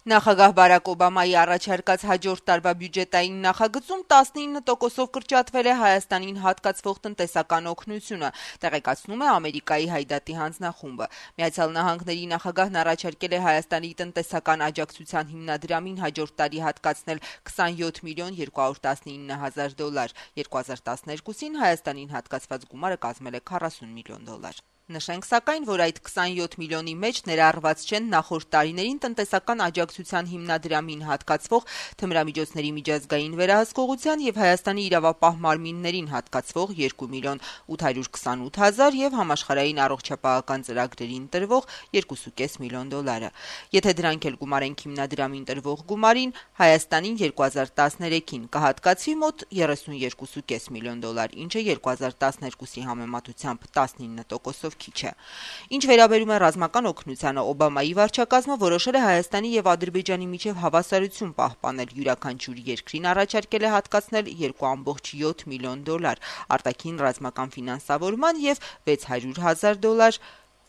Նախագահ Բարակ Օբամայի առաջարկած հաջորդ տարվա բյուջետային նախագծում 19%-ով կրճատվել է Հայաստանին հատկացվող տնտեսական օգնությունը, տեղեկացնում է Ամերիկայի Հայդատի հանձնախումբը։ Միացյալ Նահանգների նախագահն առաջարկել է Հայաստանի տնտեսական աջակցության հիմնադրամին հաջորդ տարի հատկացնել 27 միլիոն 219 հազար դոլար։ 2012-ին Հայաստանին հատկացված գումարը կազմել է 40 միլիոն դոլար։ Նշենք սակայն, որ այդ 27 միլիոնի մեջ ներառված չեն նախորդ տարիներին տնտեսական աջակցության հիմնադրամին հատկացվող թմրամիջոցների միջազգային վերահսկողության եւ Հայաստանի իրավապահ մարմիններին հատկացվող 2 միլիոն 828 հազար եւ համաշխարհային առողջապահական ծրագրերին տրվող 2.5 միլիոն դոլարը։ Եթե դրանք էլ գումարենք հիմնադրամին տրվող գումարին, Հայաստանին 2013-ին կհատկացվի մոտ 32.5 միլիոն դոլար, ինչը 2012-ի համեմատությամբ 19%-ով քիչ է։ Ինչ վերաբերում է ռազմական օգնությանը, Օբամայի վարչակազմը որոշել է Հայաստանի եւ Ադրբեջանի միջև հավասարություն պահպանել, յուրաքանչյուր երկրին առաջարկել է հատկացնել 2.7 միլիոն դոլար արտաքին ռազմական ֆինանսավորման եւ 600 հազար դոլար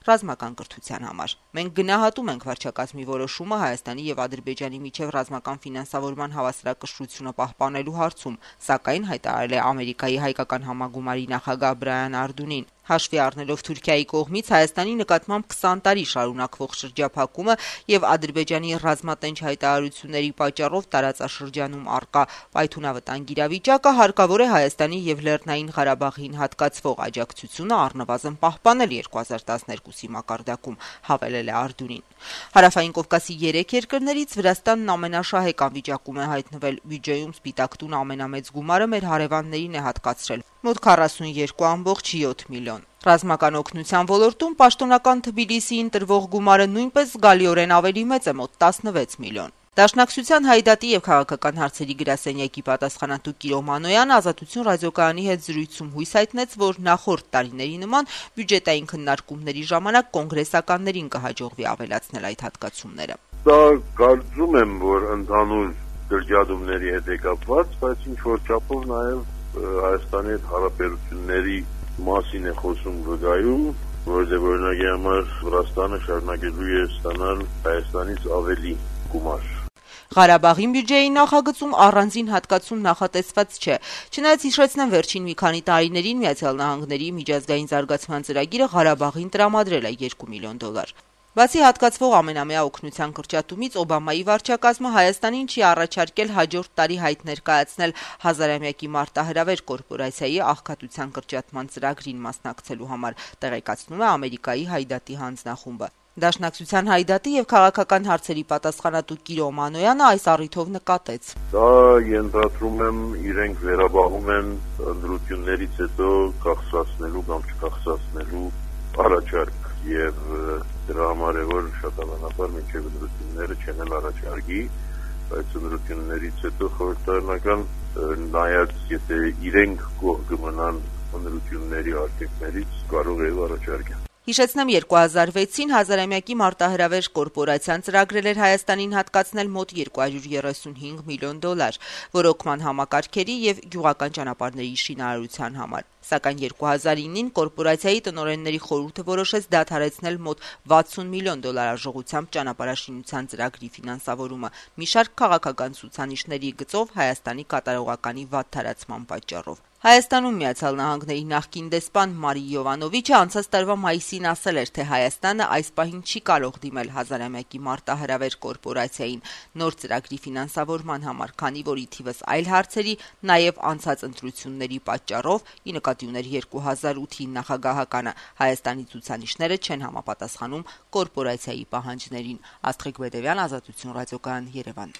ռազմական կրթության համար։ Մենք գնահատում ենք վարչակազմի որոշումը Հայաստանի եւ Ադրբեջանի միջև ռազմական ֆինանսավորման հավասարակշռությունը պահպանելու հարցում, սակայն հայտարարել է Ամերիկայի հայկական համագումարի նախագահ Բրայան Արդունին։ Հաշվի առնելով Թուրքիայի կողմից Հայաստանի նկատմամբ 20 տարի շարունակվող շրջափակումը եւ Ադրբեջանի ռազմատենչ հայտարարությունների պատճառով տարածաշրջանում առկա պայթունավտանգ իրավիճակը, հարկավոր է Հայաստանի եւ Լեռնային Ղարաբաղին հատկացվող աջակցությունը առնվազն պահպանել 2012-ի մակարդակում, հավելել է Արդունին։ Հարավային Կովկասի 3 երկրներից Վրաստանն ամենաշահեկան վիճակում է հայտնվել։ Բյուջեում Սպիտակ տուն ամենամեծ գումարը մեր հարևաններին է հատկացրել՝ մոտ 42.7 միլիոն։ Ռազմական օգնության ոլորտում պաշտոնական Թբիլիսիին տրվող գումարը նույնպես զգալիորեն ավելի մեծ է՝ մոտ 16 միլիոն։ Դաշնակցության Հայդատի եւ քաղաքական հարցերի գրասենյակի պատասխանատու Կիրո Մանոյանը Ազատություն ռադիոկայանի հետ զրույցում հույս հայտնեց, որ նախորդ տարիների նման բյուջետային քննարկումների ժամանակ կոնգրեսականներին կհաջողվի ավելացնել այդ հատկացումները։ Դա կարծում եմ, որ ընդհանուր դրճատումների հետ է կապված, բայց ինչ որ չափով նաեւ Հայաստանի հետ հարաբերությունների մասին է խոսում վկայում, որովհետև օրինակի համար Վրաստանը շարունակելու է ստանալ Հայաստանից ավելի գումար։ Ղարաբաղի բյուջեի նախագծում առանձին հատկացում նախատեսված չէ։ Չնայած հիշեցնեմ, վերջին մի քանի տարիներին Միացյալ Նահանգների միջազգային զարգացման ծրագիրը Ղարաբաղին տրամադրել է 2 միլիոն դոլար։ Բացի հատկացվող ամենամյա օգնության կրճատումից, Օբամայի վարչակազմը Հայաստանին չի առաջարկել հաջորդ տարի հայտ ներկայացնել հազարամյակի մարտահրավեր կորպորացիայի աղքատության կրճատման ծրագրին մասնակցելու համար, տեղեկացնում է Ամերիկայի Հայդատի հանձնախումբը։ Դաշնակցության Հայդատի եւ քաղաքական հարցերի պատասխանատու Կիրո Մանոյանը այս առիթով նկատեց. Դա ենթադրում եմ իրենք վերաբաղում են ընդրություններից հետո կախսացնելու կամ չկախսացնելու առաջարկ եւ դրա համար է որ շատանանաբար մինչև ընդրությունները չեն էլ առաջարկի, բայց ընդրություններից հետո խորհրդարանական նայած եթե իրենք կողմ կմնան ընդրությունների արգելքներից կարող է առաջարկել։ Հիշեցնեմ 2006-ին հազարամյակի մարտահրավեր կորպորացիան ծրագրել էր Հայաստանին հատկացնել մոտ 235 միլիոն դոլար ոռոգման համակարգերի եւ գյուղական ճանապարհների շինարարության համար։ Սակայն 2009-ին կորպորացիայի տնօրենների խորհուրդը որոշեց դադարեցնել մոտ 60 միլիոն դոլար արժողությամբ ճանապարհաշինության ծրագրի ֆինանսավորումը մի շարք քաղաքական ցուցանիշների գծով Հայաստանի կատարողականի վատ տարածման պատճառով։ Հայաստանում Միացյալ Նահանգների նախկին դեսպան Մարի Յովանովիչը անցած տարվա մայիսին ասել էր, թե Հայաստանը այս պահին չի կարող դիմել հազարամյակի մարտահրավեր կորպորացիային նոր ծրագրի ֆինանսավորման համար, քանի որ ի թիվս այլ հարցերի, նաև անցած ընտրությունների պատճառով, ի նկատի ուներ 2008-ի նախագահականը, Հայաստանի ցուցանիշները չեն համապատասխանում կորպորացիայի պահանջներին։ Աստղիկ Բեդևյան, Ազատություն ռադիոկայան, Երևան։